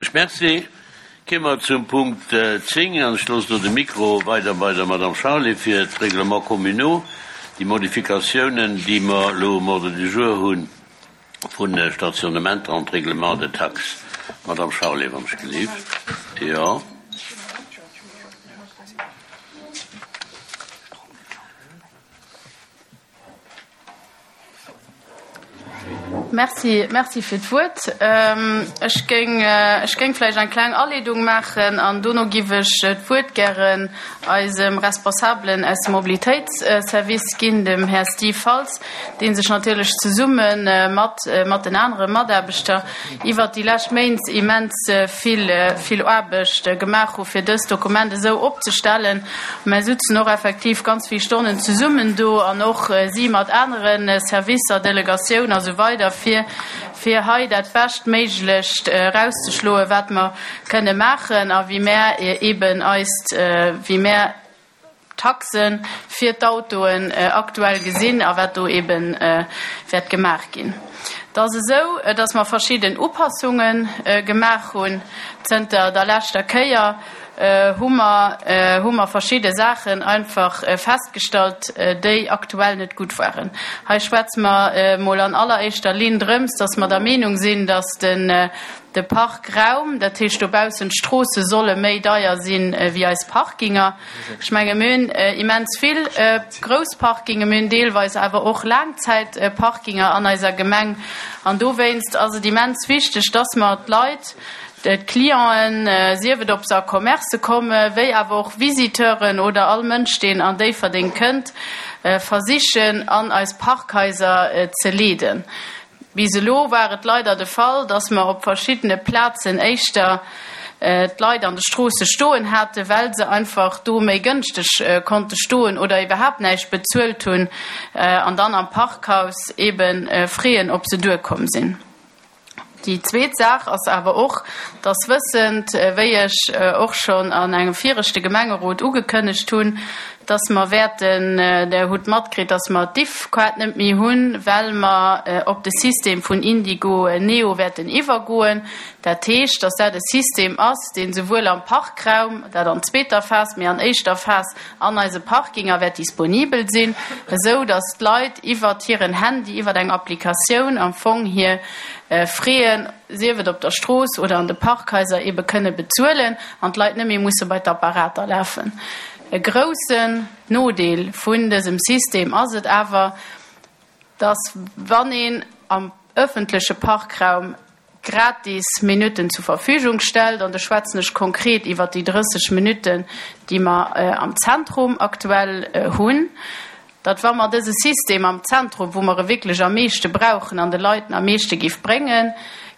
Merci. Kéime mer zum Punkt 10 an ech loossen elo de Mikro weider bei der Madame Charlé fir d'Règlements communaux, déi Modifikatiounen, déi mer elo um Ordre du jour hu vun de Stationnementer an d'Règlement de taxes. Madame Charlé, wann ech gelift. Jo. Merci, merci fir d'Wuert. Ech géing, ech géing vläicht eng kleng Aleedung maachen an dono giff ech d'Wuert gären eisem Responsabelen aus dem Mobilitéitsservice ginn, dem Här Steve Faltz, dee sech natierlech zesumme mat, mat den anere Mataarbechter iwwert déi lescht Méint immens vill, vill Aarbecht gemaach hu fir dëst Dokument esou opzestellen. Mär sutzen och effektiv ganz vill Stonnen zesummen do an och si mat anere Servicer, Delegatioun a sou weider, fir, fir hei dat Beschtméiglecht erauszeschloen, wat mer kënne maachen a wéi mär eeben eist, wéi mär Taxe fir d'Autoen aktuell gesinn a wat do eebe wäert gemaach ginn. Et ass esou, datt mer verschidden Upassunge gemaach hunn zënter der leschter Kéier. Hu mer hu mer verschidde Saachen einfach festgestallt, déi aktuell net gutt waren. Hei schwätze mer emol an alleréischter Linn drëms, datt mer der Meenung sinn, datt den De Parkraum, dat heescht dobaussen d'Stroosse solle méi deier sinn wéi eis Parkinger. Ech menge mir hunn immens vill grouss Parkinge, mir hunn deelweis awer och Laangzäitparkinger an eiser Gemeng. An dowéinst ass et immens wichteg, dass mer d'Leit, d'Clienten, sief et ob se a Commercë komme wéi awer och Visiteuren oder all Mënsch, deen an Déifferdeng kënnt, versichen an eis Parkhaiser ze leeden. Bis elo war et leider de Fall, dass mer op verschiddene Plazen éischter d'Leit an de Stroosse stoen haten, well se einfach do méi gënschteg konnte stoen oder iwwerhaapt näischt bezuelt hunn an dann am Parkhaus eebe freeën, ob se duerkomm sinn. Déi zweet Saach ass awer och, dass wëssend, wéi ech och schonn an engem viregte Gemengerot ugekënnegt hunn, dass mer wäerten, Der hutt matkritt, dass mer d'Diff-Kaart net méi hunn, well mer op de System vun Indigo Neo wäerten iwwergoen. Dat heescht, dass dat e System ass, deen souwuel am Parkraum, dat an zweeter Phas, mee an éischter Phas an eise Parkinger wäert disponibel sinn, esou dass d'Leit iwwert hiren Handy, iwwert eng Applikatioun am Fong hir Fräen, sief et op der Strooss oder an de Parkhaiser, eebe kënne bezuelen an d'Leit net méi musse bei d'Apparater lafen. E groussen Nodeel vun dësem System ass et awer, dass wann een am ëffentleche Parkraum gratis Minutten zur Verfügung stellt, an do schwätzen ech konkret iwwert déi 30 Minutten, déi mer am Zentrum aktuell hunn, datt wa mer dëse System am Zentrum, wou mer e wierklech am meeschte brauchen an de Leit en am meeschte géif bréngen,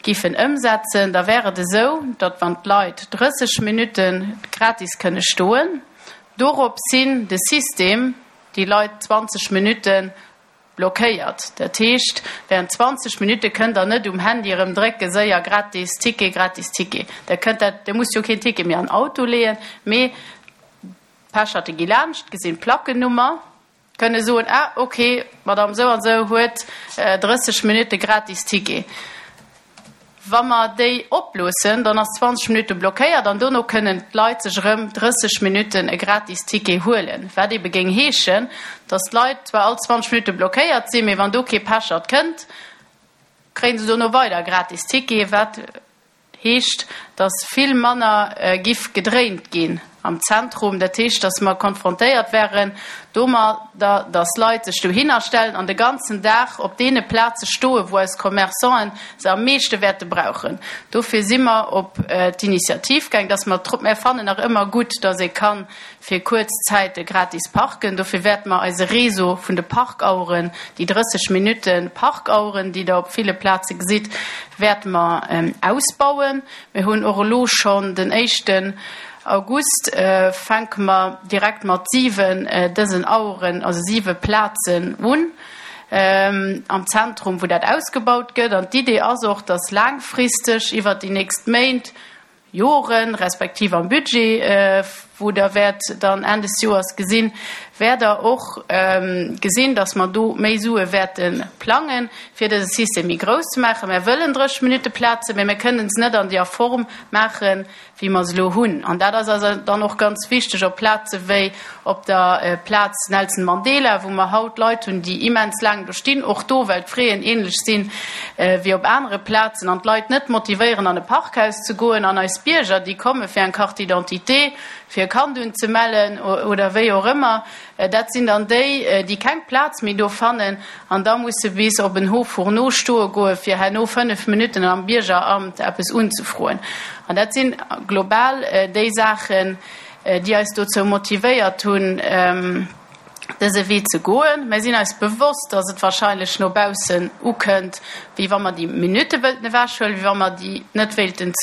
géifen ëmsetzen, da wär et esou, datt wann d'Leit 30 Minutte gratis kënne stoen, doropshin de System déi Leit 20 Minutte blockéiert. Dat heescht, während 20 Minutte kënnt Der net um Handy erëm drécke séier gratis Ticket, gratis Ticket. Der kënnt dat, Der musst jo keen Ticket méi an den Auto leeën, mee d'Pecherte gi laanscht, gesinn d'Plackennummer, kënne soen, ah ok, d'Madame sou an sou huet 30 Minutte gratis Ticket. Wa mer déi oploossen, dann ass 20 Minutte blockéiert an dono kënnen d'Leit sech erëm 30 Minutten e gratis Ticket huelen, wat ebe géing heeschen, datt d'Leit zwar all 20 Minutte blockéiert sinn, mee wann do kee Pechert kënnt, kréie se dono weider e gratis Ticket, wat Heescht, datt vill manner giff gedréint ginn am Zentrum. Dat heescht, datt mer konfrontéiert wären domadder, datt Leit sech dohinner stellen an de ganzen Dag op deene Plaze stoen, wou eis Commerçanten se am meeschte wäerte brauchen. Dofir si mer op d'Initiativ gaang, datt mer, mär fannen nach ëmmer gutt, datt ee ka fir kuerz Zäite gratis parken. Dofir wäerte mer eise Réseau vun de Parkaueren, déi 30 Minutte Parkaueren, déi Der op ville Plaze gesitt, wäerte mer ausbauen. Mir hunn och elo schonn den éischten August fänke mer direkt mat siwen dësen Aueren, also siwe Plazen un am Zentrum, wou dat ausgebaut gëtt. An d'Idee ass och, dass laangfristeg iwwert déi nächst Méint, Joren, respektiv am Budget, wou. wou Der wäert dann Enn des Joers gesinn, wäert Der och gesinn, dass mer do méi Sue wäerte plangen, fir dëse System méi grouss ze maachen. Mer wëllen 30 Minutte Plazen, mä mer kënnen se net an deer Form maachen, wéi mer se elo hunn. An dat ass eis dann och ganz wichteg op Plaze wéi op der Plaz Nelson Mandela, wou mer haut Leit hunn, déi immens laang do stinn, och do, well d'Fraisen ähnlech sinn wéi op anere Plazen, an d'Leit net motivéieren, an e Parkhaus ze goen. An eis Bierger, déi komme fir eng Carte d'identité, fir e Kand unzemellen oder wéi och ëmmer, Dat sinn dann déi, déi keng Plaz méi do fannen an da musse bis op en Haut Fourneau stoe goe fir herno 5 Minutten am Biergeramt eppes unzefroen. An dat sinn global déi Saachen, déi eis dozou motivéiert hunn, dëse Wee ze goen. Mir sinn eis bewosst, dass et wahrscheinlech no baussen ukënnt, wéi wa mer déi Minutte wëllten ewechhuelen, wéi wa mer déi net wéilten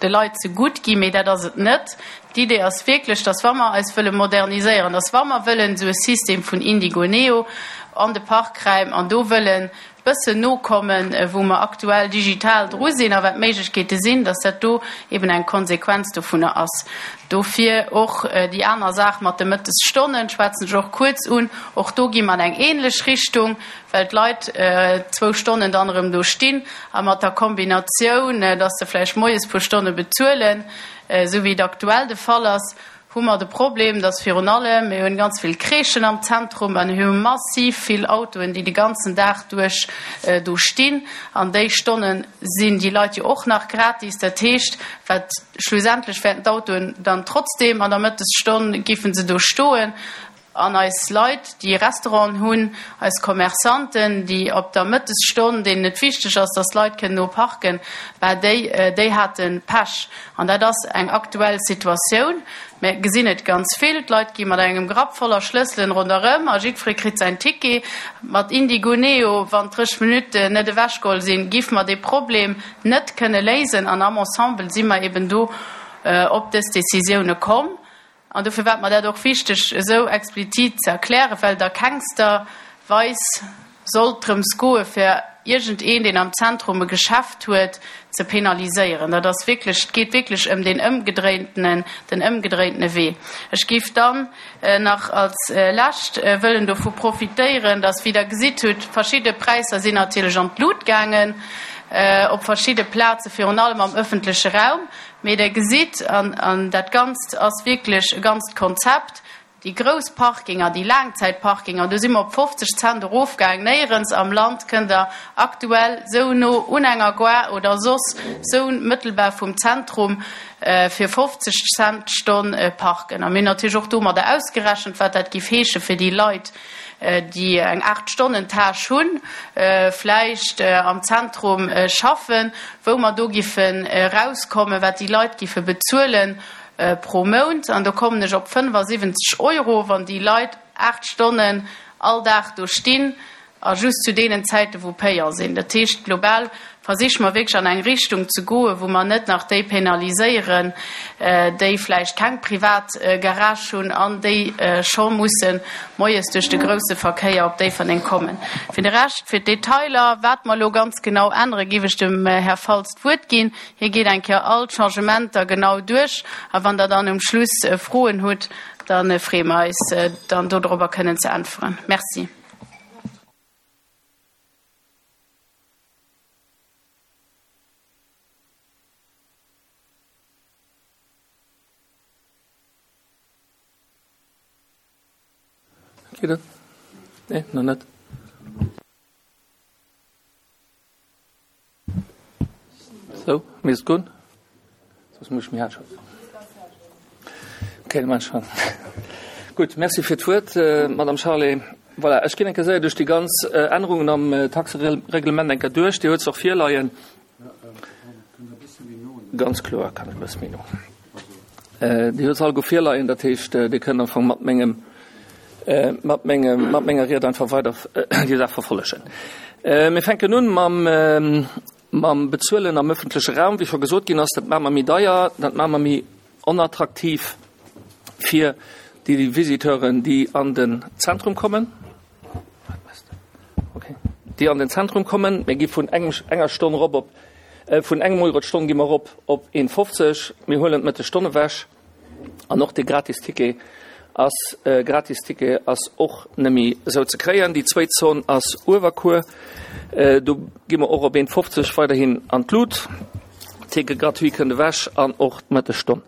de Leit zegutt ginn. Mee dat ass et net. D'Idee ass wierklech, dass wa mer eis wëlle moderniséieren, dass wa mer wëllen esou e System vun Indigo Neo an de Parkräim an do wëllen bëssen nokommen, wou mer aktuell digital dru sinn a wat d'Méiglechkeete sinn, dass dat do eben eng Konsequenz dovunner ass. Dofir och déi aner Saach mat de Mëttesstonnen schwätzen ech och kuerz un. Och do gi mer an eng ähnlech Richtung, well d'Leit zwou Stonnen dann erëm do stinn a mat der Kombinatioun, dass se vläicht moies puer Stonne bezuelen, Esou wéi et aktuell de Fall ass, hu mer de Problem, dass virun allem, mir hunn ganz vill Crèchen am Zentrum an hu massiv vill Autoen, déi de ganzen Dag duerch do stinn. An déi Stonne sinn déi Leit jo och nach gratis. Dat heescht, wat schlussendlech wäerten d'Autoen dann trotzdem an der Mëttesstonn géife se do stoen. An eis Leit, déi Restauranten hunn, eis Commerçanten, déi op der Mëttesstonn, deenen et wichteg ass, dass d'Leit kënnen no parken, bah, déi, déi hate Pech. An dat ass eng aktuell Situatioun. Mir gesinn et ganz vill, D'Leit gi mat engem Grapp voller Schlësselen ronderëm a jiddweree kritt säin Ticket. Mat Indigo Neo, wann d'drësseg Minutten net ewechgeholl sinn, géife mer dee Problem net kënne léisen. An am Ensemble si mer eben do op dës Décisioune komm. An dofir war et mer dat och wichteg, esou explizit ze erklären, well et a kengster Weis sollt drëms goe fir iergendeen, deen am Zentrum e Geschäft huet, ze penaliséieren. Dat ass wierklech, et geet wierklech ëm deen ëmgedréintenen, den ëmgedréintene Wee. Ech géif dann nach als Lescht wëllen dovu profitéieren, dass, wéi Der gesitt hutt, verschidde Präisser sinn natierlech an d'Lut gaangen op verschidde Plazen, virun allem am öffentleche Raum. Mee Der gesitt, an dat Ganzt ass wierklech e ganzt Konzept, déi grouss Parkinger, déi Laangzäitparkinger, do si mer op 50 Cent erofgaang. Néierens am Land kënnt Der aktuell esou no un enger Gare oder soss esou mëttelbar vum Zentrum fir 50 Cent d'Stonn parken. A mir hunn natierlech och domadder ausgerechent, wat dat géif heesche fir déi Leit, déi eng Aacht-Stonnen-Tâche hunn, vläicht am Zentrum schaffen, wou mer do giffen erauskommen, wat déi Leit giffe bezuele pro Mount. An do kommen ech op 75 Euro, wann déi Leit 8 Stonnen all Dag do stinn a just zu deenen Zäiten, wou Payant sinn. Dat heescht, global versiche mer wierklech an eng Richtung ze goen, wou mer net nach déi penaliséieren, déi vläicht keng privat Garage hunn an déi scho musse moies duerch de grousse Verkéier op Déifferdeng kommen. Fir de Rescht, fir d'Detailer, wat mer elo ganz genau änneren, géif ech dem Här Faltz d'Wuert ginn. Hie geet eng Kéier all d'Changementer genau duerch a wann Der dann um Schluss Froen hutt, da freeë mer eis, dann dodrobber kënnen ze äntweren. Merci. Geet et? Nee, nach net. Sou, misst goen. Soss muss ech méi haart schwätzen. Okay, da maachen ech schonn. Gutt, Merci fir d'Wuert, Madame Charlé. Voilà, ech ginn eng Kéier séier duerch déi ganz Ännerungen am Taxereglement eng Kéier duerch. Dir huet se och virleien. Ganz kloer kann ech e bësse méi no. Dir huet se alleguer virleien, dat heescht, Dir kënnt am Fong mat mengem, mat mengem, mat menger Ried einfach weider déi Saach verfollegen. Mir fänken un mam, mam Bezuelen am öffentleche Raum. Wéi scho gesot ginn ass, dat maache mer méi deier, dat maache mer méi onattraktiv fir déi Visiteuren, déi an den Zentrum kommen. Okay. Déi an den Zentrum kommen. Mir gi vun engem, enger Stonn erop op, vun engem Euro d'Stonn gi mer erop op 1,50. Mir huelen d'Mëttesstonn ewech. An och de gratis Ticket ass gratis Ticket ass och nëmmi esou ze kréien. Déi zwéit Zon ass Uewerkuer. Do gi mer och op 1,50 weiderhin an d'Lut. Ticket gratuit kënnt ewech an och d'Mëttesstonn.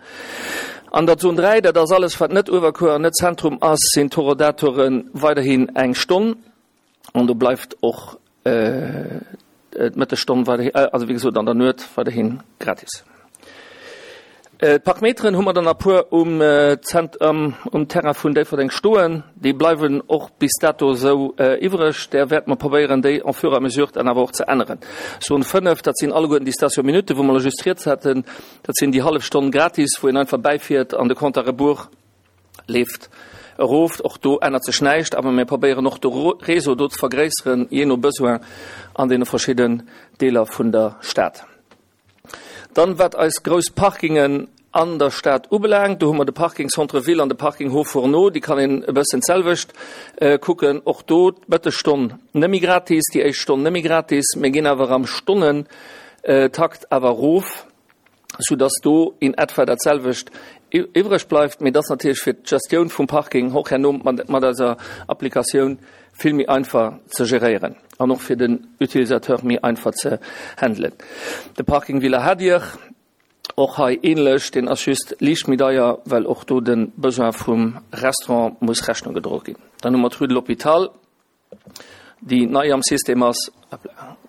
An der Zon 3, dat ass alles wat net Uewerkuer an net Zentrum ass, sinn d'Horodatore weiderhin eng Stonn. An do bleift och d'Mëttesstonn weiderhin, also wéi gesot an der Nuet weiderhin gratis. D'Parkmeteren hu mer dann a puer um Zent, um Terrain vun Déifferdeng stoen. Déi bleiwen och bis dato esou iwwreg. Där wäerte mer probéieren, déi en fur et à mesure dann awer och ze änneren. Zone 5, dat sinn alleguerten déi Station-minuten, wou mer elo just rieds haten. Dat sinn déi hallef Stonn gratis, wou een einfach bäifiert an de Compte à rebours leeft erof. Och do ännert sech näischt, awer mir probéieren och de Réseau do ze vergréisseren, jee no Besoin an deene verschidden Deeler vun der Stad. Dann, wat eis grouss Parkingen an der Stad ubelaangt, do hu mer de Parking Centre Ville an de Parking Hauts Fourneaux, déi kann een e bëssen d'selwecht kucken. Och do d'Mëttesstonn nëmme gratis, déi éischt Stonn nëmme gratis. Mir ginn awer am Stonnentakt awer erof. sou dass do in etwa dat selwecht iwwreg bleift, mee dass natierlech fir d'Gestioun vum Parking och herno mat eiser Applikatioun vill méi einfach ze geréieren an och fir den Utilisateur méi einfach ze handelen. De Parking Villa Hadir, och hei ähnlech, deen ass just liicht méi deier, well och do de Besoin vum Restaurant muss Rechnung gedroe ginn. Dann hu mer d'Rue de l'Hôpital. déi nei am System ass,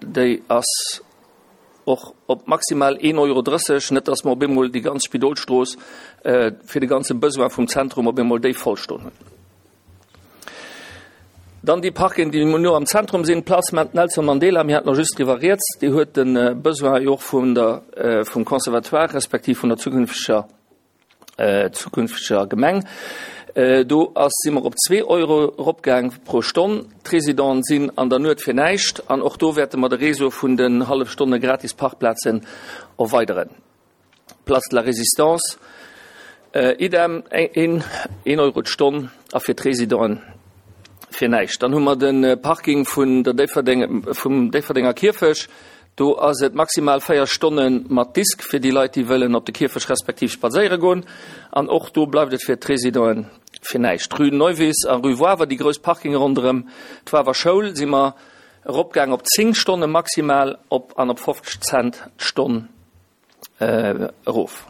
déi ass och op maximal 1,30 Euro, net datt mer op eemol déi ganz Spidolstrooss fir de ganze Besoin vum Zentrum op eemol déi voll stoen hunn. Dann déi Parken, déi no am Zentrum sinn, d'Place Nelson Mandela, mir haten och just driwwer rieds, déi huet de Besoin jo och vun der, vum Conservatoire respektiv vun der zukünfteger zukünfteger Gemeng. Do ass, si mer op zwee Euro eropgaang pro Stonn. D'Residenten sinn an der Nuet fir näischt an och do wäerte mer de Réseau vun den hallef Stonne gratis Parkplazen erweideren. Place de la Résistance, idem, een Euro d'Stonn a fir d'Residenten fir näischt. Dann hu mer de Parking vun der Déifferdeng, vum Déifferdenger Kierfech. Do ass et maximal 4 Stonne mat Disk fir déi Leit, déi wëllen op de Kierfecht respektiv spadséiere goen. An och do bleift et fir d'Residenten fir näischt. Rue Neuwiss a Rue Wawer, déi grouss Parkinge ronderëm d'Wawer Schoul, si mer eropgaang op 10 Stonne maximal op an op 50 Cent d'Stonn erof.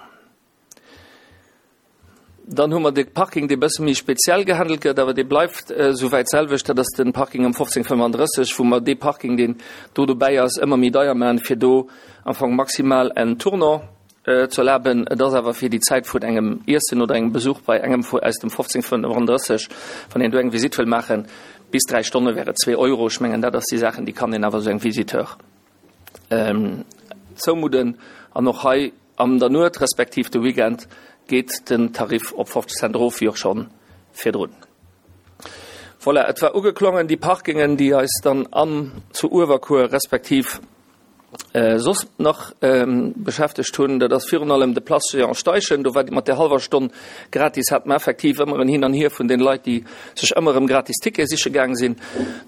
Dann hu mer de Parking, dee bësse méi speziell gehandelt gëtt, awer dee bleift souwäit d'selwecht. Dat ass de Parking ëm 1535, wou mer dee Parking, deen do dobäi ass, ëmmer méi deier maachen, fir do am Fong maximal en Tournant ze erlaben. Et ass awer fir déi Zäit vun engem Iessen oder engem Besuch bei engem vu aus dem 1535, wann een do eng Visitt wëll maachen, bis 3 Stonne wär et zwee Euro. Ech mengen, dat ass déi Saachen, déi kann een awer esou engem Visiteur zoumudden. An och hei an der Nuet respektiv de Weekend geet den Tarif op 50 Cent erof, wéi och scho virdrun. Voilà, et war ugeklongen, déi Parkingen, déi eis dann an zu Uewerkuer respektiv soss nach beschäftegt hunn. Dat ass virun allem de Place Jean Steichen. Do war mat där hallwer Stonn gratis, hat mer effektiv ëmmer en Hin an Hier vun den Leit, déi sech ëmmer erëm gratis Tickete siche gaang sinn.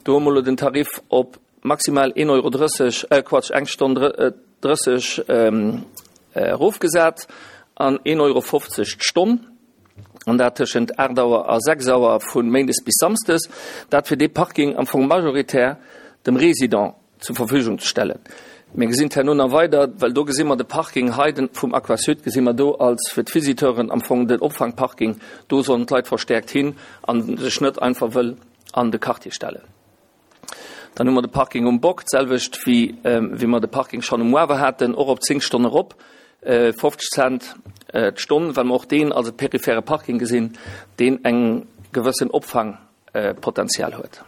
Do hu mer elo den Tarif op maximal 1,30 Euro, äh Quatsch, eng Stonn 30 erofgesat an 1,50 Euro d'Stonn, an dat tëschent 8 Auer a 6 Auer vu méindes bis samsdes, dat fir dee Parking am Fong majoritär dem Résident zur Verfügung ze stellen. Mir gesinn d'herno nach weider, well do gesi mer de Parking hei vum Aquasud gesi mer do als fir d'Visiteuren am Fong den Opfangparking, do sollen d'Leit verstärkt hin a sech net einfach wëll an de Quartier stellen. Dann hu mer de Parking um Bock, d'selwecht wéi wéi mer de Parking schonn um Wawer haten, och op 10 Stonne erop, 50 Cent d'Stonn, well mer och deen als e periphere Parking gesinn, deen eng gewëssen Opfangpotenzial huet.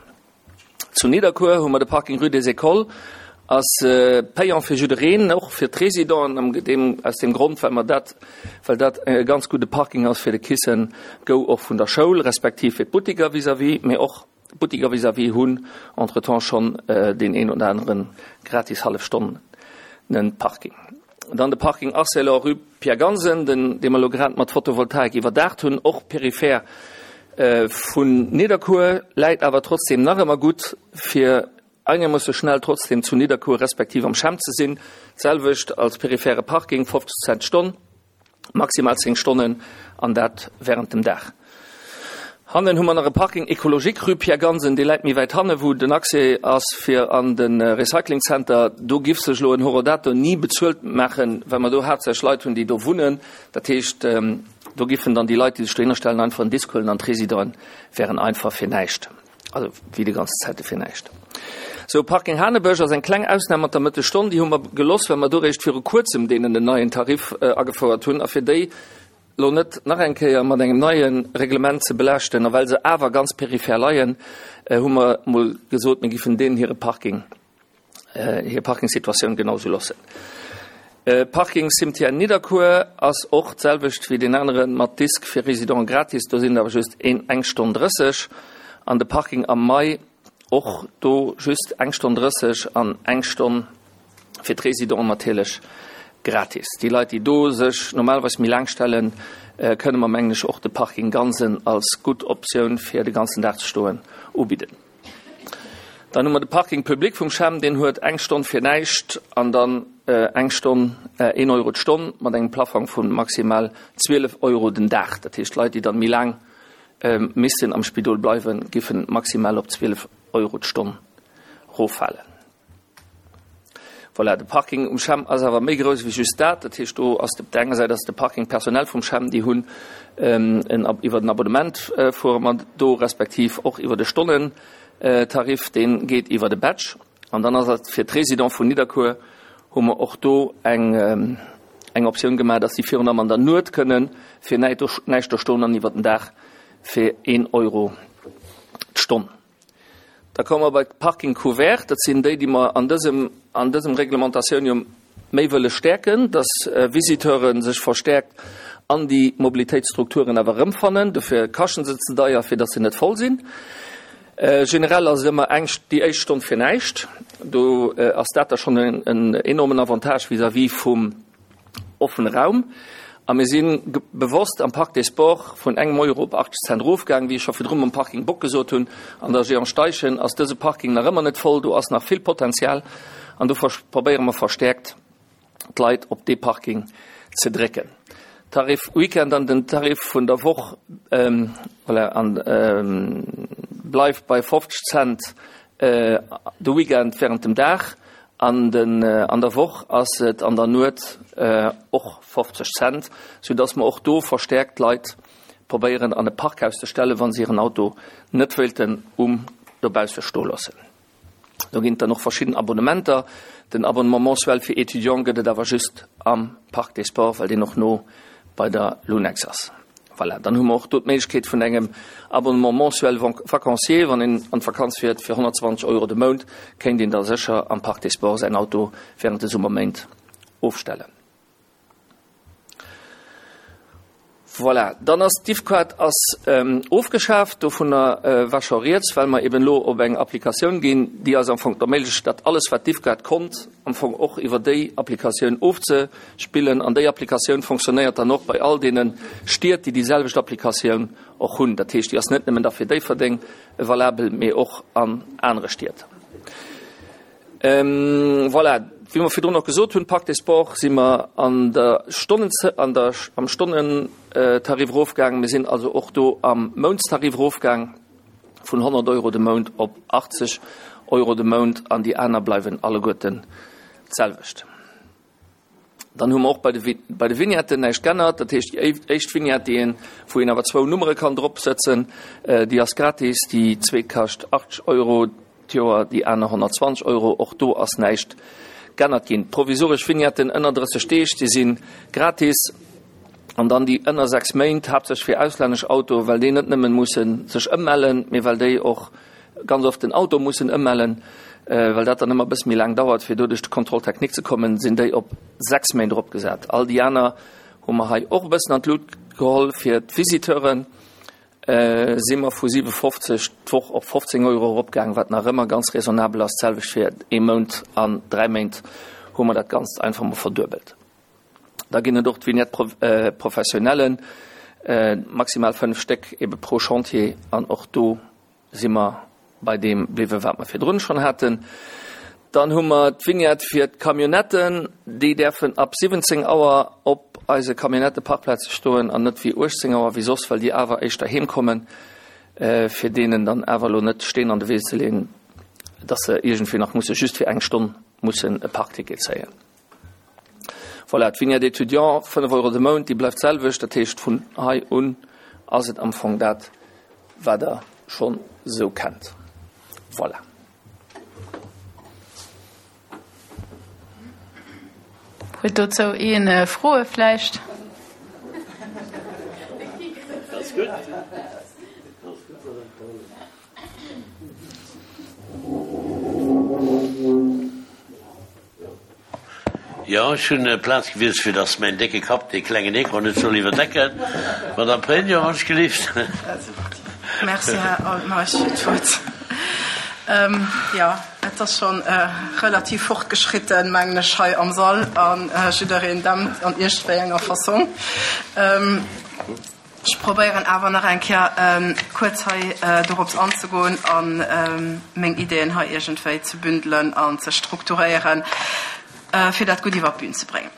Zu Nidderkuer hu mer de Parking Rue des Écoles, ass payant fir jiddereen, och fir d'Residenten, am deem, aus deem Grond, well mer dat, well dat e ganz gudde Parking ass fir de Kiss and Go och vun der Schoul, respektiv fir d'Buttiker vis-à-vis, mee och D'Buttiker vis-à-vis hunn entretemps schonn deen een oder anere gratis hallef Stonnen Parking. Dann de Parking Arcelor, rue Pierre Gansen, den dee mer elo grad mat Photovoltaik iwwerdaacht hunn, och peripher vun Nidderkuer, läit awer trotzdem nach ëmmer gutt fir einermoosse schnell trotzdem zu Nidderkuer respektiv am Champ ze sinn. D'selwecht als periphere Parking, 50 Cent d'Stonn. Maximal 10 Stonnen. An dat während dem Dag. Hannen hu mer nach e Parking écologique, rue Pierre Gansen, dee läit méi wäit hanne wou den Accès ass fir an de Recycling Center. Do giff sech elo en Horodator ni bezuelt maachen, well mer do haaptsächlech Leit hunn, déi do wunnen. Dat heescht, do giffen dann déi Leit, déi sech dohinner stellen, einfach en Disk huelen an d'Residenten wären einfach fir näischt, also wéi déi ganzen Zäite fir näischt. Sou, Parking Hanebësch ass eng kleng Ausnam mat der Mëttesstonn. Déi hu mer geloss, well mer do réischt viru kuerzem deenen en neien Tarif agefouert hunn a fir déi lo net nach eng Kéier mat engem neie Reglement ze belaaschten, a well se awer ganz peripher leien, hu mer mol gesot, mir giffen deenen hire Parking, hir Parkingsituatioun genau esou loossen. Parking Cimetière Nidderkuer ass och d'selwecht wéi deen anere mat Disk fir Résidenten gratis, do sinn et awer just een eng Stonn 30, an de Parking am Mai och do just eng Stonn 30 an eng Stonn Fir d'Résidenten natierlech gratis. Déi Leit, déi do sech normalerweis méi laang stellen, kënne mer, mengen ech, och de Parking Gansen als gutt Optioun fir de ganzen Dag ze stoen ubidden. Dann hu mer de Parking public vum CHEM, deen huet eng Stonn fir näischt an dann eng Stonn een Euro d'Stonn mat engem Plaffong vu maximal 12 Euro den Dag. Dat heescht, Leit, déi dann méi laang missten am Spidol bleiwen, giffen maximal op 12 Euro d'Stonn roffalen. Voilà, de Parking um CHEM ass awer méi grouss wéi just dat. Dat heescht, do ass op der enger Säit ass de Parking personnel vum CHEM, déi hunn en iwwer den Abonnement fuere mer do, respektiv och iwwer de Stonnentarif, dee geet iwwer de Badge. An dann ass et fir d'Résidents vun Nidderkuer hu mer och do eng eng Optioun gemaach, dass si virun allem an der Nuet kënne fir näischt do stoen an iwwer den Dag fir een Euro d'Stonn. Da komme mer bei d'Parking couvert. Dat sinn déi, déi mer an dësem, an dësem Reglementatioun jo méi wëlle stäerken, dass Visiteure sech verstärkt an déi Mobilitéitsstrukturen awer erëmfannen. Dofir kaschten se ze deier, fir dass se net voll sinn. Generell ass et ëmmer eng, déi éischt Stonn fir näischt. Do ass dat da schonn en enormen Avantage vis-à-vis vum Offene Raum. A mir si bewosst am Parc des Sports vun engem Euro op 80 Cent erofgaangen, wéi ech scho virdrun mam Parking Bock gesot hunn. An der Jehan Steichen ass dëse Parking nach ëmmer net voll, do ass nach vill Potenzial an do probéiere mer verstäerkt d'Leit op dee Parking ze drécken. Tarif Weekend an den Tarif vun der Woch, voilà, an bleift bei 50 Cent de Weekend während dem Dag. An den an der Woch ass et an der Nuet och 50 Cent, sou dass mer och do verstäerkt d'Leit probéieren an e Parkhaus ze stellen, wa se hiren Auto net wéilten um dobausse stoe loossen. Do ginn et dann och verschidden Abonnementer. Den Abonnement mensuel fir Étudiants gëtt et awer just am Parc des Sports, well deen och no bei der Lunex ass. Voilà, dann hu mer och do d'Méiglechkeet vun engem Abonnement mensuel vacancier. Wann een an d'Vakanz fiert fir 120 Euro de Mount, kéint een da sécher am Parc des Sports säin Auto während de Summerméint ofstellen. Voilà, dann ass d'Diffcard ass ofgeschaaft. Dovunner war scho rieds, well mer eben elo op eng Applikatioun ginn, déi eis am Fong erméiglecht, dat alles, wat d'Diffcard konnt, am Fong och iwwer déi Applikatioun ofzespillen. An déi Applikatioun fonctionnéiert dann och bei all deene Stied, déi déi selwecht Applikatioun och hunn. Dat heescht, déi ass net nëmmen da fir Déifferdeng valabel, mee och an anere Stied. Voilà, wéi mer virdrun och gesot hunn, Parc des Sports si mer an der Stonnen, an der, am Stonnentarif erofgaang. Mir sinn also och do am Mountstarif erofgaang. Vun 100 Euro de Mount op 80 Euro de Mount an déi aner bleiwen alleguerten d'selwecht. Dann hu mer och bei de bei de Vignetten näischt g'ännert. Dat heescht, déi éischt Vignette, déi een, wou een awer zwou Nummere kann drop sëtzen, déi ass gratis. Déi zweet kascht 80 Euro d'Joer, déi aner 120 Euro. Och do ass näischt g'ännert ginn. D'provisoresch Vignetten ënner 30 Deeg, déi si gratis. An dann déi ënner 6 Méint, haaptsächlech fir auslännesch Autoen, well déi net nëmmen mussen sech ëmmellen, mee well déi och ganz oft den Auto mussen ëmmellen, well dat dann ëmmer e bësse méi laang dauert, fir do duerch de Contrôle technique ze kommen, sinn déi op 6 Méint eropgesat. All déi aner hu mer hei och e bëssen an d'Lut geholl. Fir d'Visiteuren si mer vu 7,50 d'Woch op 15 Euro eropgaang, wat nach ëmmer ganz raisonnabel ass. D'selwecht fir ee Mount an 3 Méint hu mer dat Ganzt einfach mol verduebelt. Da ginn et och d'Vignette professionnelle, maximal 5 Stéck ebe pro Chantier. An och do si mer bei deem bliwwen, wat mer virdrun schonn haten. Dann hu mer d'Vignette fir d'Camionnetten, déi däerfen ab 17 Auer op. eise Camionnetteparkplaze stoen an net wéi 18 Auer wéi soss, well déi awer éischter heem kommen, fir deenen dann awer elo net Steen an de Wee ze leeën, dass se iergendwéi nach musse just fir eng Stonn mussen e Parkticket zéien. Voilà, d'Vignette étudiant, 5 Euro de Mount, déi bleift d'selwecht. Dat heescht, vun hei un ass et am Fong dat, wat Der schonn esou kennt. Voilà. Huet dozou een Froe vläicht? Jo, ech hunn Plaz gewiesst, fir dass mäin décke Kapp dee klengen Ecran net soll iwwerdecken. Madame Pregno, wann ech gelift. Merci, Här Altmeisch, fir d'Wuert. Jo, et ass scho relativ fortgeschritten, mengen ech, hei am Sall, a jiddereen dämmt an iergendwéi enger Fassong. Ech probéieren awer nach eng Kéier kuerz hei dorops anzegoen a meng Ideeën hei iergendwéi ze bündelen an ze strukturéieren, fir dat gutt iwwer d'Bün ze bréngen.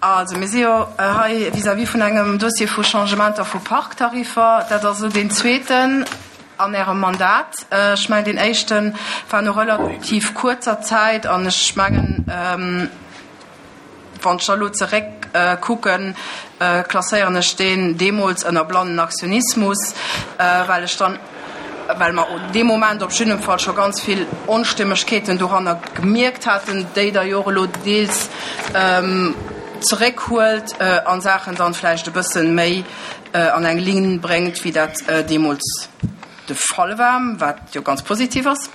Also, mir si jo hei vis-à-vis vun engem Dossier vu Changementer vu Parktariffer. Dat ass elo deen zweeten an Ärem Mandat. Ech mengen, deen éischte war no relativ kuerzer Zäit an ech mengen, Wann ech da elo zeréck kucken, klasséieren ech deen deemools ënner blannen Aktionismus, well ech dann, well mer dee Moment op jiddem Fall scho ganz vill Onstimmegkeeten doranner gemierkt haten, déi Der jo och elo deels zeréckhuelt a Saachen dann vläicht e bësse méi an eng Linn bréngt, wéi dat deemools de Fall war, wat jo ganz positiv ass.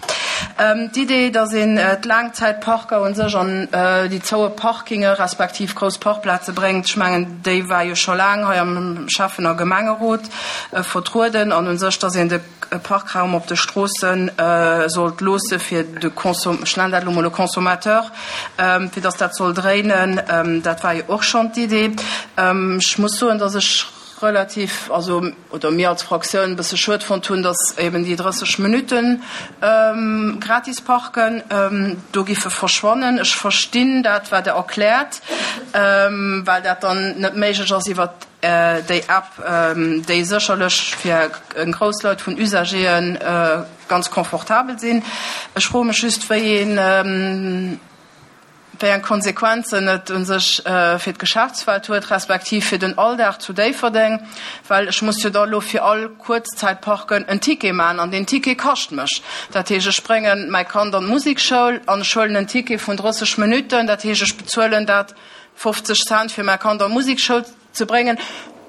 D'Idee, datt een d'Laangzäitparker u sech an déi zoue Parkinge respektiv grouss Parkplaze bréngt, ech mengen, déi war jo scho laang hei am Schäffen a Gemengerot vertrueden an u sech, datt een de Parkraum op de Stroosse sollt loosse fir de Consommateur, ech nennen dat elo mol e Consommateur, fir datt dat soll dréinen, dat war jo och schonn d'Idee. Ech muss soen, datt ech relativ, also oder mir als Fraktioun e bësse schued fonnt hunn, datt eben déi 30 Minutte gratis parken do giffe verschwannen. Ech verstinn dat, wat Der erkläert, well dat dann net méiglech ass iwwert déi App, déi sécherlech fir eng grouss Leit vun Usagere ganz confortabel sinn. Ech froe mech just, wéi een, wéi eng Konsequenzen et u sech fir d'Geschäftswelt huet, respektiv fir den Alldag zu Déifferdeng, well ech muss jo da elo fir all Kuerzzäitparken en Ticket maachen an deen Ticket kascht mech. Dat heescht, ech bréngen mäi Kand an d'Musekschoul an ech huelen en Ticket vun 30 Minutten, dat heescht, ech bezuelen dat 50 Cent fir mäi Kand an d'Musekschoul. Ze bréngen,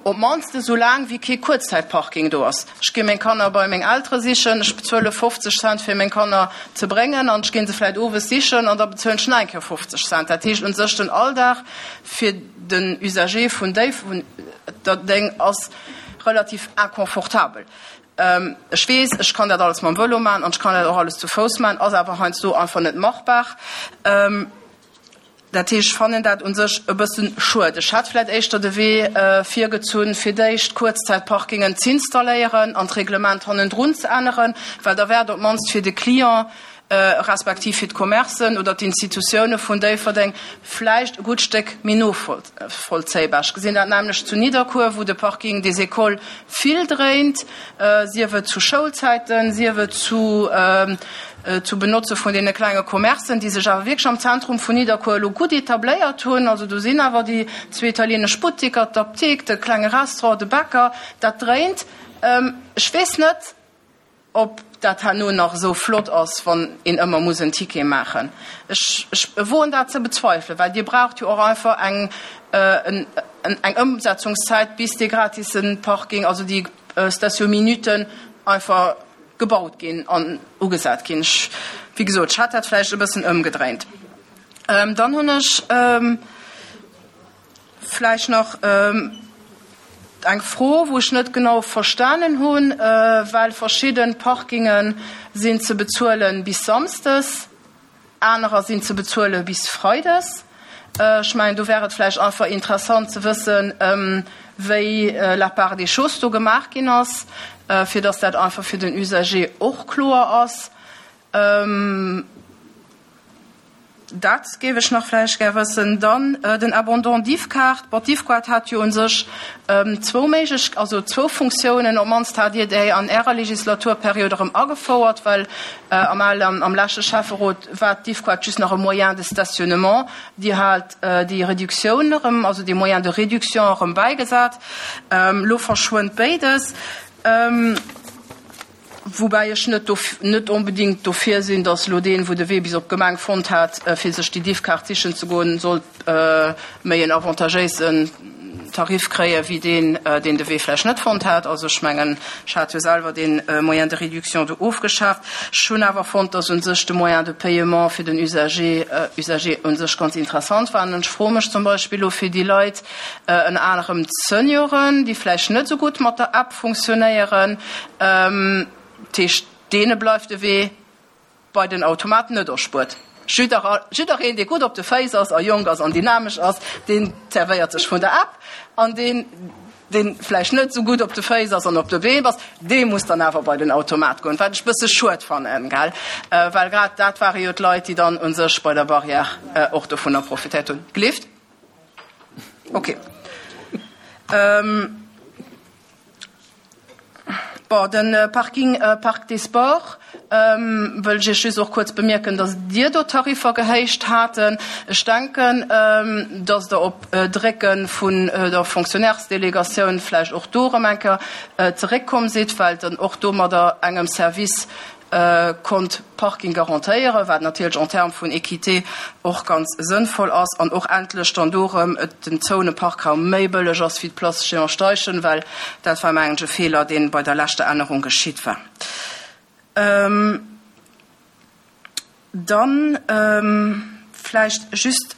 op d'mannst esou laang wéi kee Kuerzzäitparking do ass. Ech gi meng Kanner bei meng Eltere sichen, ech bezuele 50 Cent fir meng Kanner ze bréngen an ech gi se vläicht owes sichen an da bezuelen ech nach eng Kéier 50 Cent. Dat heescht un sech den Alldag fir den Usager vun Déifferdeng ass relativ inconfortabel. Ech weess, ech kann dat alles mam Vëlo maachen an ech kann dat och alles zu Fouss maachen, ass awer heiansdo einfach net machbar. Dat heescht, ech fannen dat u sech e bësse schued. Ech hätt vläicht éischter de Wee virgezunn, fir d'éischt Kuerzzäitparkingen z'installéieren an d'Reglement hannendrun ze änneren, well da wär et op d'mannst fir de Client respektiv fir d'Commercen oder d'Institutioune vun Déifferdeng vläicht e gutt Stéck méi novollzéibar. Ech gesinn dat näamlech zu Nidderkuer, wou de Parking des Écoles vill dréint, sief et zu Schoulzäiten, sief et zu zu Benotze vun deene klenge Commercen, déi sech awer wierklech am Zentrum vun Nidderkuer elo gutt etabléiert hunn. Also do sinn awer déi zwee italienesch Buttiker, d'Apdikt, de klenge Restaurant, de Bäcker, dat dréint. Ech weess net, ob dat herno nach esou flott ass, wann een ëmmer muss en Ticket maachen. Ech, ech woen dat ze bezweifelen, well Dir braucht jo och einfach eng, eng Ëmsetzungszäit, bis dee gratisse Parking, also déi Station-minuten einfach gebaut ginn an ugesat ginn. Ech, wéi gesot, ech hätt dat vläicht e bëssen ëmgedréint. Dann hunn ech vläicht nach eng Fro, wou ech net genau verstanen hunn, well verschidde Parkinge sinn ze bezuele bis samsdes. Anerer sinn ze bezuele bis freides. Ech mengen, do wär et vläicht einfach interessant ze wëssen, wéi la part des choses do gemaach ginn ass, fir dass dat einfach fir den Usager och kloer ass. Dat géif ech nach vläicht gär wëssen. Dann den Abandon d'Yves-Kaart. Bon, d'Yves-Kaart hat jo u sech zwou Méiglech-, also zwou Funktiounen. Op d'mannst hat Dir déi an Ärer Legislaturperiod erëm agefouert, well am alen, am leschte Schäfferot war d'Yves-Kaart just nach e Moyen de stationnement. Dir hat déi Reduktioun erëm, also dee Moyen de réduction erëm bäigesat. Elo verschwënnt béides. Woubäi ech net net onbedingt dofir sinn, datt elo deen, wou de Wee bis op d'Gemeng fonnt hat, fir sech déi Diffkaart sichen ze goen, sollt méi en avantagéisen Tarif kréie wéi deen, deen de Wee vläicht net fonnt hat. Also ech mengen, ech hat jo selwer dee Moyen de réduction do ofgeschaaft. Ech hunn awer fonnt, datt u sech de Moyen de paiement fir den Usager Usager u sech ganz interessant war. An ech froe mech zum Beispill elo fir déi Leit, ënner anerem d'Senioren, déi vläicht net esou gutt mat der App funktionéieren, dat heescht, deene bleift de Wee bei den Automat net erspuert. Jiddereen, dee gutt op de Féiss ass a jonk ass an dynamesch ass, deen zerwéiert sech vun der App, an deen, dee vläicht net esou gutt op de Féiss ass an op de Been ass, dee muss dann awer bei den Automat goen, wat ech e bësse schued fannen, gell, well grad dat ware jo d'Leit, déi dann u sech bei der Barrière och dovunner profitéiert hunn. Gelift? Okay. Ähm, bon, den äh, Parking äh, Parc des Sports ähm, wëll ech Iech just och kuerz bemierken, dass Dir do Tariffer gehéicht haten. Ech denken, ähm, dass Der op äh, Drécke vun äh, der Fonctionnairesdelegatioun vläicht och do erëm eng Kéier äh, zeréckkomm sidd, well dann och domadder engem Service konnt Parking garantéieren, wat natierlech en termes vun Équité och ganz sënnvoll ass, an och endlech dann do erëm et den zoune Parkraum méi bëlleg ass wéi d'Place Jehan Steichen, well dat war mengen ech e Feeler, dee bei der leschter Ännerung geschitt war. Dann vläicht just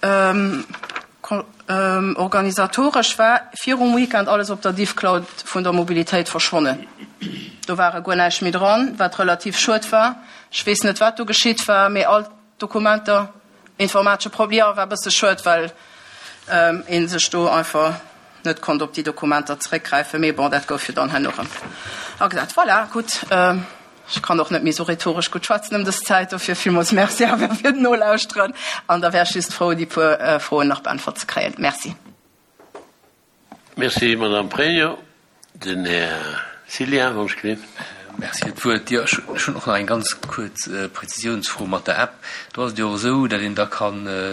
organisatoresch war virum Weekend alles op der Diffcloud vun der Mobilitéit verschwonnen. Do ware guer näischt méi dran, wat relativ schued war. Ech weess net, wat do geschitt war, mee all d'Dokumenter, informatesche Problem, jo, war e bësse schued, well ee sech do einfach net konnt op déi Dokumenter zeréckgräifen. Mee bon, dat gouf jo dann herno erëm agesat. Voilà, gutt. Ech kann och net méi esou rhetoresch gutt schwätzen ëm dës Zäit, dofir villmools Merci awer fir d'Nolauschteren an da wär ech just frou, déi puer Froen nach beäntwert ze kréien. Merci. Merci, Madame Pregno. Den Här Cillien, wann ech gelift. Merci fir d'Wuert. Jo, ech hunn och nach eng ganz kuerz Präzisiounsfro mat der App. Do ass et jo och esou, datt een da ka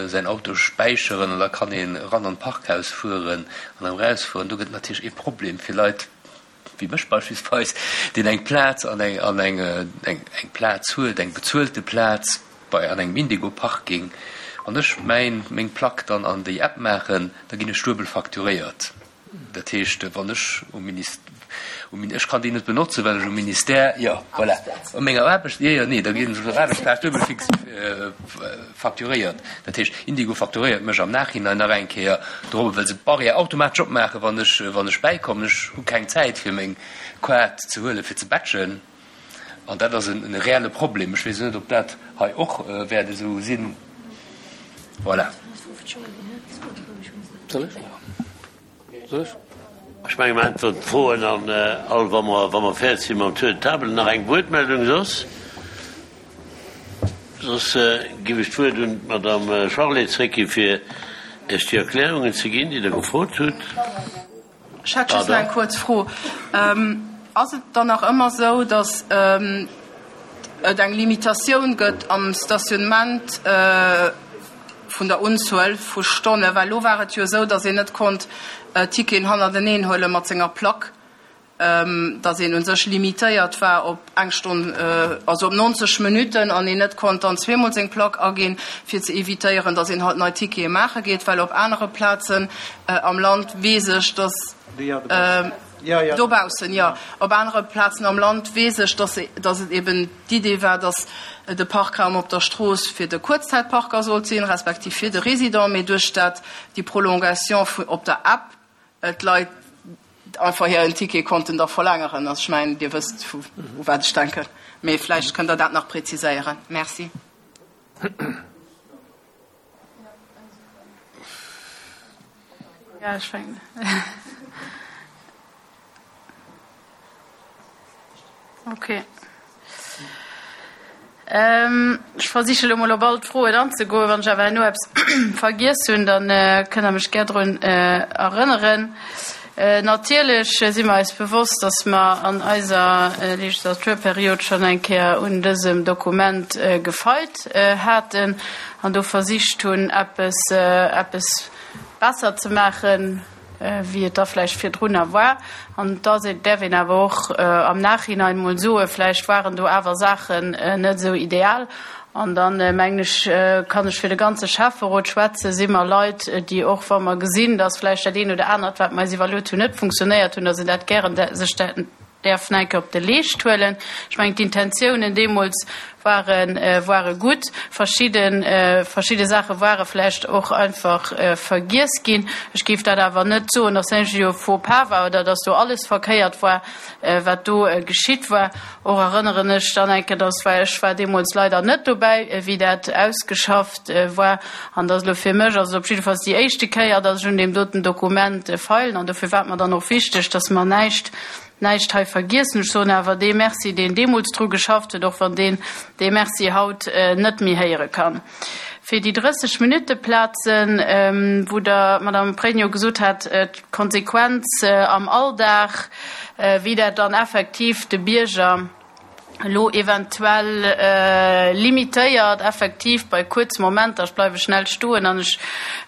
säin Auto späicheren an da kann een eran an d'Parkhaus fueren an erëm erausfueren. Do gëtt et natierlech ee Problem fir Leit, wéi mech beispillsweis, deen eng Plaz an eng an eng eng Plaz huet, eng bezuelte Plaz bei an engem Indigo-Parking, wann ech mäin meng Plack dann an déi App maachen, da ginn ech duebel facturéiert. Dat heescht, wann ech um Minis um ech kann déi net benotzen, well ech um Ministère, jo, voilà, op menger Aarbecht, jo, jo, nee, da ginn ech op der Aarbechtsplaz duebel fix facturéiert. Dat heescht, Indigo facturéiert mech am Nachhinein nach eng Kéier dorobber, well se d'Barrière automatesch opmaachen, wann ech, wann ech bäikommen. Ech hu keng Zäit, fir meng Kaart ze huelen, fir ze batchen. An dat ass en reelle Problem. Ech weess net, ob dat hei och wäert esou sinn. Voilà. Soll ech? Soll ech? Ech menge mer äntweren d'Froen an all, wa mer, wa mer fäerdeg si mam Tour de table. Nach eng Wuertmeldung soss? Soss giff ech d'Wuert un d'Madame Charlé zréckgi fir Iech déi Erklärungen ze ginn, déi Der gefrot hutt. Ech hätt just nach eng kuerz Fro. Ass et dann nach ëmmer esou, datt et eng Limitatioun gëtt am Stationnement vun der Unzuel vu Stonnen? Well elo war et jo esou, datt een net konnt Ticketen hannerteneen huele mat senger Plack, datt een u sech limitéiert war op eng Stonn, also op 90 Minutten an een net konnt dann zweemol seng Plack aginn, fir ze evitéieren, datt een halt nei Tickete maache geet. Well op anere Plazen am Land weess ech, datt dobaussen, jo, op anere Plazen am Land weess ech, datt datt et eben d'Idee war, datt de Parkraum op der Strooss fir de Kuerzzäitparker sollt sinn, respektiv fir de Résident, mee duerch dat déi Prolongation vu op der App d'Leit einfach hiren Ticket konnten da verlängeren. Also ech mengen, Dir wësst, u wat ech denken, mee vläicht kënnt Der dat nach präziséieren. Merci. Ja, ech fänken. Okay. Ech versiche lo mol op all d'Froen anzegoen. Wann ech awer herno eppes vergiess hunn, da kënnt Der mech gär drun erënneren. Natierlech si mer eis bewosst, dass mer an eiser Legislaturperiod schonn eng Kéier un dësem Dokument gefeilt haten an do versicht hunn, eppes, eppes besser ze maachen, wéi et da vläicht virdrunner war. An da däerf een awer och am Nachhinein emol soen, vläicht waren do awer Saachen net esou ideal. An dann, mengen ech, kann ech fir de ganze Schäfferot schwätzen, si mer Leit, déi och, wa mer gesinn, dass vläicht dat eent oder anert, wat mer eis iwwerluet hunn, net funktionéiert hunn, dass een dat gären sech däerf nach eng Kéier op de Leescht huelen. Ech mengen, d'Intentiounen deemools ware ware gutt. Verschidde verschidde Saache ware vläicht och einfach vergiess ginn. Ech géif dat awer net soen, dass dat jo e Faux-pas war oder dass do alles verkéiert war, wat do geschitt war. Och erënneren ech dann eng Kéier, dass war, ech war deemools leider net dobäi, wéi dat ausgeschafft war. An dass elo fir mech ass et op jiddefalls déi éischte Kéier, dass ech un deem doten Dokument feilen. An dofir war et mer dann och wichteg, dass mer näischt, näischt hei vergiessen. Ech soen awer dee Merci, deen deemools dru geschafft huet, och wann deen dee Merci haut net méi héiere kann. Fir déi 30 Minutte-Plazen, wou Der, Madame Pregno, gesot hat, d'Konsequenz am Alldag, wéi dat dann effektiv de Bierger elo eventuell limitéiert, effektiv bei kuerze Momenter, ech bleiwe schnell stoen an ech,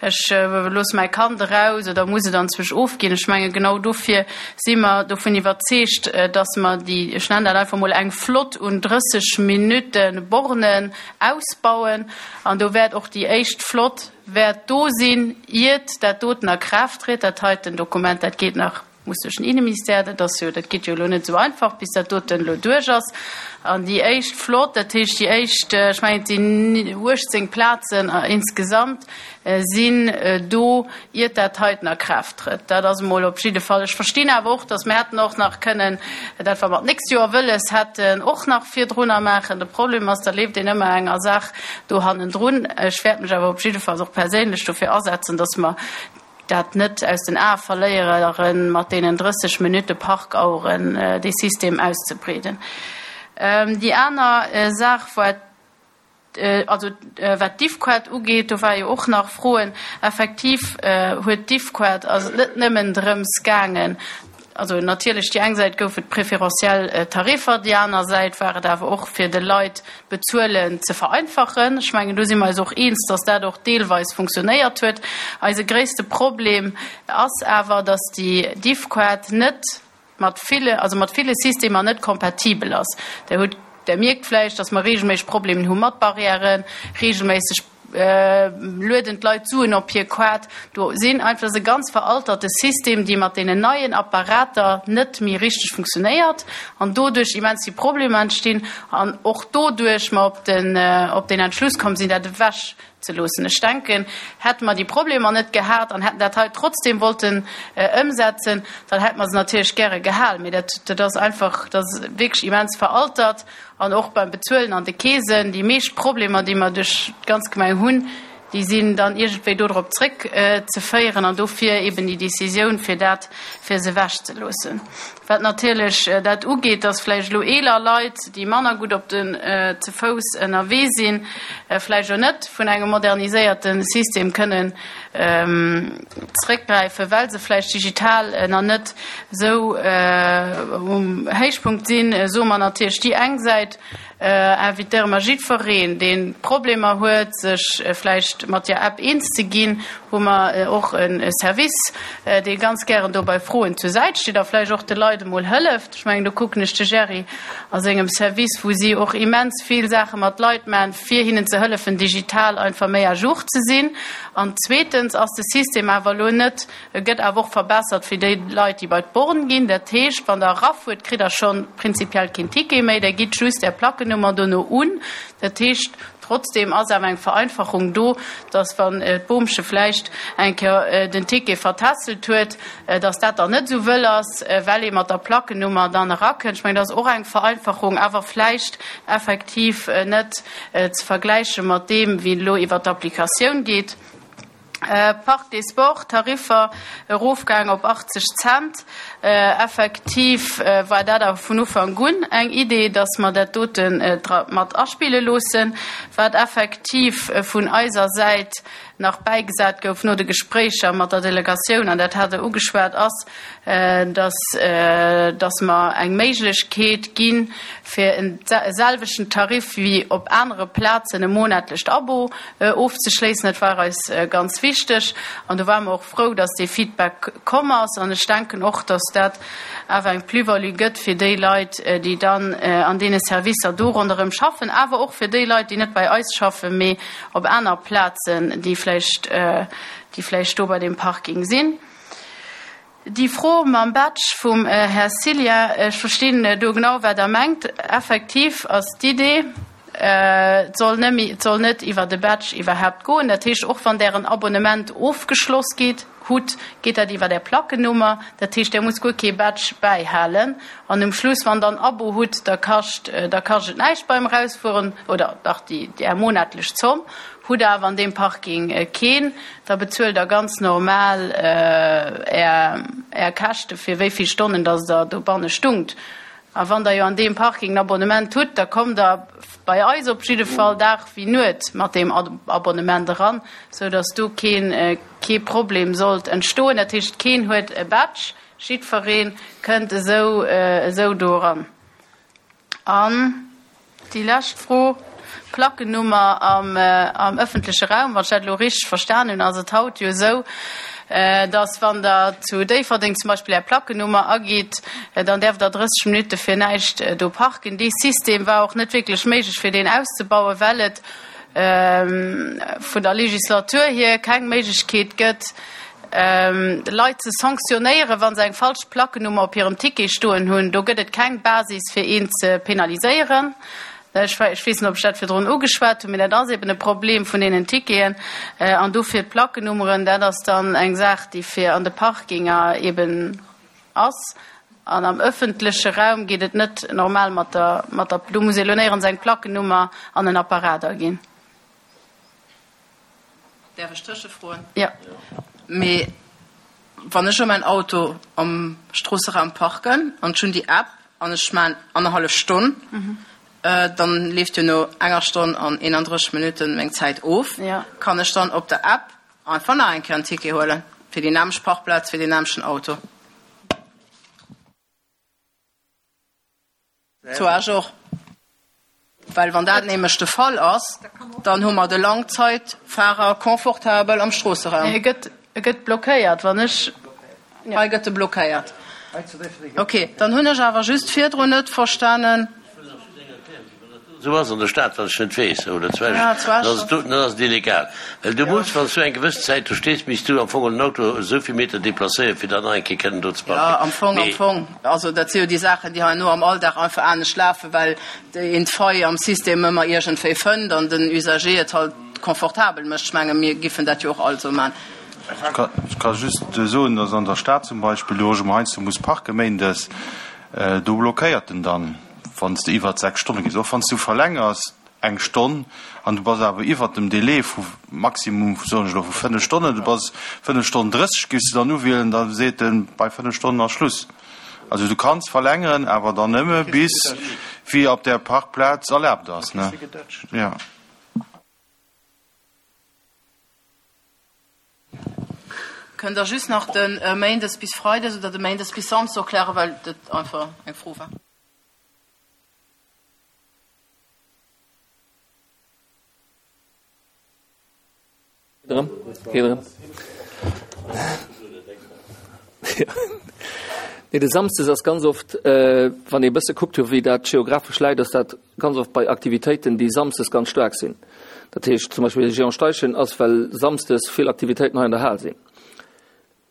ech loosse mäi Kand eraus oder muss et anzwousch ofginn. Ech menge genau dofir si mer dovun iwwerzeegt, dass mer déi, ech nennen dat einfach emol eng Flott un 30 Minutte Bornen ausbauen an do wäert och déi éischt Flott wäert do sinn, iert dat doten a Kraaft tritt. Dat heiten Dokument, dat geet nach, muss duerch den Inneministère, dat ass jo, dat geet jo elo net esou einfach, bis dat doten elo duerch ass. An déi éischt Flott, dat heescht déi éischt, ech mengen et sinn 18 Plazen insgesamt, sinn do, iert dat heiten a Kraaft trëtt. Dat ass emol op jidde Fall. Ech verstinn awer och, datt mir hätten och nach kënnen dat, wat mer d'nächst Joer wëlles hätten, och nach virdrunner maachen. De Problem ass, da leeft een ëmmer enger Saach do hannendrun. Ech wäert mech awer op jiddefalls och perséinlech dofir asetzen, datt mer dat net aus den Ae verléieren, mat deenen 30 Minutte Parkaueren dee System auszebreeden. Déi aner Saach war, Also wat d'Diffquart ugeet, do war jo och nach Froen. Effektiv huet d'Diffquart, ass et net nëmmen drëms gaangen, also natierlech déi eng Säit gouf et préférentiel Tariffer, déi aner Säit war et awer och fir de Leit d'Bezuelen ze vereinfachen. Ech mengen do si mer eis och eens, datt dat och deelweis funktionéiert huet. Eise gréisste Problem ass awer, datt déi Diffquart net, mat ville, also mat ville Systemer net kompatibel ass. Der hutt, Der mierkt vläicht, dass mer regelméisseg Problemen hu mat Barrièren, regelméisseg lueden d'Leit Suen op hir Kaart. Do sinn einfach, dat ass e ganz veralterte System, dee mat deenen neien Apparater net méi richteg funktionéiert an doduerch immens vill Problemer entstinn an och doduerch mer op den, op den Entschluss komm sinn, dat ewech ze loossen. Ech denken, hätte mer déi Problemer net gehat an hätten dat hei trotzdem wollten ëmsetzen, dann hätte mer se natierlech gäre gehal. Mee dat, dat ass einfach, dat ass wierklech immens veraltert. An och beim Bezuelen an de Keesen, déi meescht Problemer, déi mer duerch d'ganz Gemeng hunn, déi sinn dann iergendwéi dodrop zréckzeféieren. An dofir eben déi Décisioun, fir dat, fir se ewechzeloossen. Wat natierlech dat ugeet, dass vläicht elo eeler Leit, déi manner gutt op den ze Fouss ënnerwee sinn, vläicht och net vun engem moderniséierte System kënnen zréckgräifen, well se vläicht digital nach net esou um Héichpunkt sinn, soe mer natierlech déi eng Säit, Invitéiere mer jiddwereen, dee Problemer huet, sech vläicht mat der App eens ze ginn, hu mer och e Service, dee ganz gären do bei Froen zur Säit steet a vläicht och de Leit emol hëlleft. Ech mengen, do kucken ech de Gerry a sengem Service, wou si och immens vill Saache mat Leit maachen, fir hinnen ze hëllefen, digital einfach méi à jour ze sinn. An zweetens ass de System awer elo net E gëtt awer och verbessert fir déi Leit, déi bei d'Born ginn. Dat heescht, wann Der erafuert, kritt Der scho prinzipiell keen Ticket méi, Der gitt just Är Plackenummer dono un. Dat heescht, trotzdeem ass awer eng Vereinfachung do, dass, wann d'Boomche vläicht eng Kéier den Ticket vertässelt huet, dass dat dann net esou wëll ass, well ee mat der Plackenummer dann erakënnt. Ech mengen, dat ass och eng Vereinfachung, awer vläicht effektiv net ze vergläiche mat deem, wéi et elo iwwert d'Applikatioun geet. Parc des Sports, Tariffer erofgaang op 80 Cent. Effektiv war dat awer vun Ufank un eng Idee, dass mer dat dote mat aspille loossen. Wat effektiv vun eiser Säit nach bäigesat gouf no de Gespréicher mat der Delegatioun, an dat hat Der ugeschwat, ass, dass, dass mer eng Méiglechkeet ginn, fir e selwechten Tarif wéi op anere Plazen e monatlecht Abo ofzeschléissen. Dat war eis ganz wichteg an do ware mer och frou, dass dee Feedback komm ass. An ech denken och, dass dat awer eng Plus-value gëtt fir déi Leit, déi dann an deene Servicer do ronderëm schaffen, awer och fir déi Leit, déi net bei eis schaffen, mee op aner Plazen, déi vläicht, déi vläicht do bei deem Parking sinn. Déi Fro mam Badge vum Här Cillien, ech verstinn do genau, wat Der mengt. Effektiv ass d'Idee, et soll net méi, et soll net iwwer e Badge iwwerhaupt goen. Dat heescht, och wann Der en Abonnement ofgeschloss gitt, hutt, geet dat iwwer Är Plackennummer. Dat heescht, Der musst guer kee Badge bäihalen. An um Schluss, wann Der en Abo hutt, da kascht, da kascht et näischt beim Erausfueren, oder dach déi, Är monatlech Zomm. Hutt Der awer an deem Parking keen, da bezuelt Der ganz normal Är Käschte fir wéi vill Stonnen dass Der dobanne stungt. A wann Der jo an deem Parking en Abonnement hutt, da kommt Der bei eis op jidde Fall Dag wéi Nuet mat deem Abonnement eran, sou dass do keen, kee Problem sollt entstoen. Dat heescht, keen huet e Badge, jiddferee kënnt esou, esou do eran. An déi lescht Fro, Plackennummer am ëffentleche Raum. Wann ech dat elo richteg verstan hunn, ass et haut jo esou, dass wann Der zu Déifferdeng zum Beispill Är Plackennummer agitt, dann däerft Der 30 Minutte fir näischt do parken. Dee System war och net wierklech méiglech, fir deen auszebauen, well et vun der Legislatur hier keng Méiglechkeet gëtt, Leit ze sanktionéieren, wa se eng falsch Plackennummer op hirem Ticket stoen hunn. Do gëtt et keng Basis, fir een ze penaliséieren. Ech weess net, ob ech dat virdrun ugeschwat hunn, mee dat ass eben e Problem vun deenen Ticketen. An dofir d'Plackennummeren, dat ass dann eng Saach, déi fir an de Parkinger eben ass. An am ëffentleche Raum geet et net normal mat der, mat der, do muss ee lo néierens eng Plackennummer an en Apparat aginn. Däerf ech tëschefroen? Jo. Mee wann ech elo mäin Auto am Stroosseraum parken an ech hunn déi App an ech maan annerhallef Stonn, dann leeft jo no enger Stonn an 31 Minutten meng Zäit of. Kann ech dann op der App einfach nach eng Kéier en Ticket huelen fir déi nämmlecht Parkplaz, fir deen nämmlechten Auto? Zu Esch och. Well wann dat nämlech de Fall ass, dann hu mer de Langzeitfahrer confortabel am Stroosseraum. E gëtt, e gëtt blockéiert, wann ech. Hei gëtt e blockéiert. Okay, dann hunn ech awer just virdrun net verstanen. Esou ass an der Stad, wat ech net weess, oder zu Esch, dann ass et do, dann ass et illegal. Well du muss, wann s du eng gewëss Zäit do stees, misst du am Fong den Auto esou vill Meter deplacéieren, fir dann nach eng Kéier kënnen do ze parken. Jo, am Fong, am Fong. Also dat si jo déi Saachen, déi herno am Alldag einfach anescht lafen, well een d'Faille am System ëmmer iergendwéi fënnt an den Usager et halt confortabel mécht. Ech menge mir giffen dat jo och alt esou man. Ech ka just soen, dass an der Stad zum Beispill, do wou ech ëmmer heiansdo muss parken, méindes, do blockéiert en dann. Wann s de iwwert 6 Stonne gees, och wann s du verlängers eng Stonn an du bass awer iwwert dem Délai vu maximum, soen ech elo, vu 5 Stonnen, du bass 5 Stonnen 30, giffs de dann uwielen, da seet en, bei 5 Stonnen ass Schluss. Also du kanns verlängeren, awer dann nëmme bis wéi op där Parkplaz erlaabt ass, ne? Jo. Kënnt Der just nach de Méindes bis Freides oder de Méindes bis Samsdes erklären, well dat einfach eng Fro war. Nee, de Samsdes ass ganz oft, wann ee bësse kuckt huet, wéi dat geographesch läit, ass dat ganz oft bei Aktivitéiten, déi samsdes ganz staark sinn. Dat heescht zum Beispill de Géant Steichen ass, well samsdes vill Aktivitéiten hei an der Hal sinn.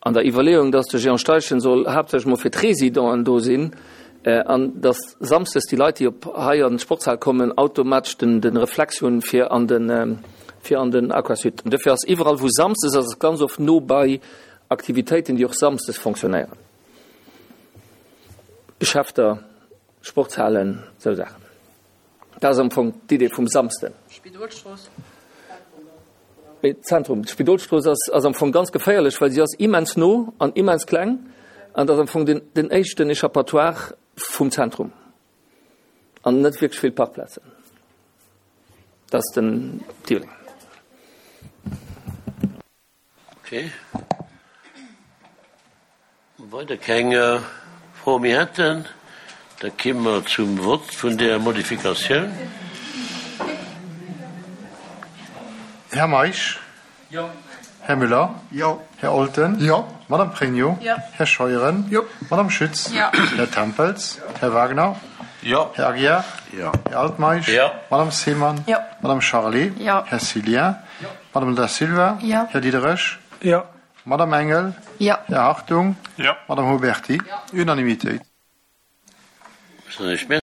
An der Iwwerleeung, dass de Géant Steichen soll haaptsächlech mol fir d'Residenten do sinn an dass samsdes déi Leit, déi op hei an d'Sportshal kommen, automatesch den de Reflex hunn, fir an den, fir an den Aquasud. An dofir ass iwwerall, wou samsdes ass, ass ganz oft no bei Aktivitéiten, déi och samsdes fonctionnéieren, Geschäfter, Sportshalen, esou Saachen. Dat ass am Fong d'Idee vum Samsden. Spidolstrooss. Mee d'Zentrum, d'Spidolstrooss ass, ass am Fong ganz geféierlech, well si ass immens no an immens kleng an dat ass am Fong den, den éischten Échappatoire vum Zentrum an net wierklech vill Parkplazen. Dat ass den Deal. Okay. Weider keng Froe méi hätten, da ki mer zum Vott vun där Modifikatioun. Här Meisch? Jo. Här Müller? Jo. Här Olten? Jo. Madame Pregno? Jo. Här Scheuren? Jo. Madame Schütz? Jo. Här Tempels? Här Wagner? Jo. Här Aguiar? Jo. Här Altmeisch? Jo. Madame Seemann? Jo. Madame Charlé? Jo. Här Cillien? Jo. Madame Da Silva? Jo. Här Diderich? Jo. Madame Engel? Jo. Här Hartung? Jo. Madame Huberty? Jo. Unanimitéit.